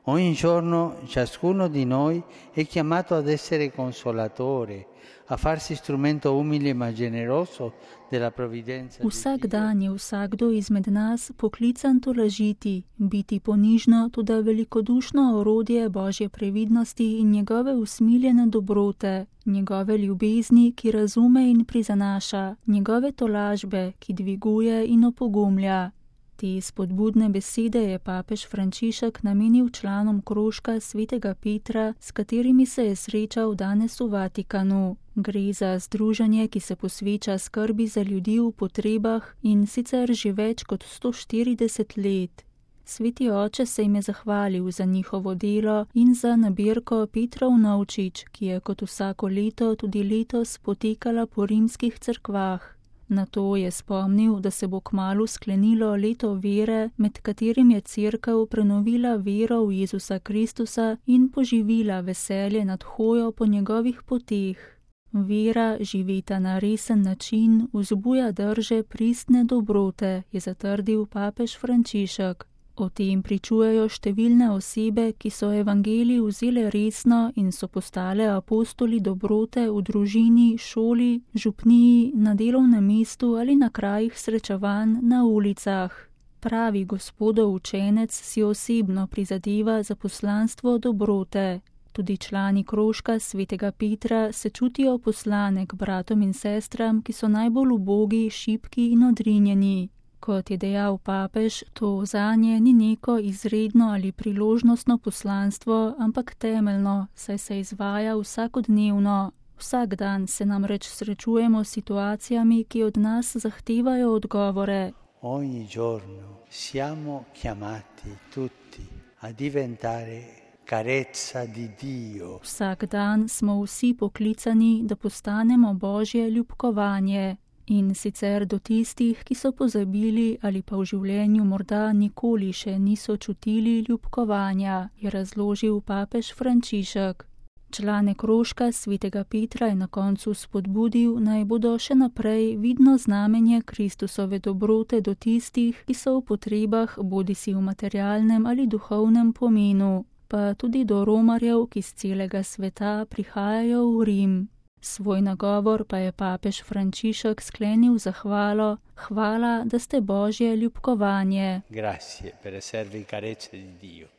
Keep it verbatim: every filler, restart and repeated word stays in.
Ogni giorno ciascuno di noi è chiamato ad essere consolatore, a farsi strumento umile ma generoso della provvidenza di Vsak Dio. dan je vsakdo izmed nas poklican tolažiti, biti ponižno, toda velikodušno orodje Božje previdnosti in njegove usmiljene dobrote, njegove ljubezni, ki razume in prizanaša, njegove tolažbe, ki dviguje in opogumlja. Te spodbudne besede je papež Frančišek namenil članom krožka svetega Petra, s katerimi se je srečal danes v Vatikanu. Gre za združenje, ki se posveča skrbi za ljudi v potrebah in sicer že več kot sto štirideset let. Sveti oče se jim je zahvalil za njihovo delo in za nabirko Petrov Novčič, ki je kot vsako leto tudi letos potekala po rimskih cerkvah. Na to je spomnil, da se bo kmalu sklenilo leto vere, med katerim je Cerkev prenovila vero v Jezusa Kristusa in poživila veselje nad hojo po njegovih poteh. Vera, živeta na resen način, vzbuja drže pristne dobrote, je zatrdil papež Frančišek. O tem pričujejo številne osebe, ki so evangelij vzele resno in so postale apostoli dobrote v družini, šoli, župniji, na delovnem mestu ali na krajih srečevanj na ulicah. Pravi Gospodov učenec si osebno prizadeva za poslanstvo dobrote. Tudi člani krožka svetega Petra se čutijo poslane k bratom in sestram, ki so najbolj ubogi, šibki in odrinjeni. Kot je dejal papež, to zanje ni neko izredno ali priložnostno poslanstvo, ampak temeljno, saj se izvaja vsakodnevno. Vsak dan se namreč srečujemo s situacijami, ki od nas zahtevajo odgovore. Ogni giorno siamo chiamati tutti a diventare carezza di Dio. Vsak dan smo vsi poklicani, da postanemo Božje ljubkovanje. In sicer do tistih, ki so pozabili ali pa v življenju morda nikoli še niso čutili ljubkovanja, je razložil papež Frančišek. Člane krožka svetega Petra je na koncu spodbudil, naj bodo še naprej vidno znamenje Kristusove dobrote do tistih, ki so v potrebah bodisi v materialnem ali duhovnem pomenu, pa tudi do romarjev, ki z celega sveta prihajajo v Rim. Svoj nagovor pa je papež Frančišek sklenil zahvalo: Hvala, da ste Božje ljubkovanje. Grazie per esservi carezze di Dio.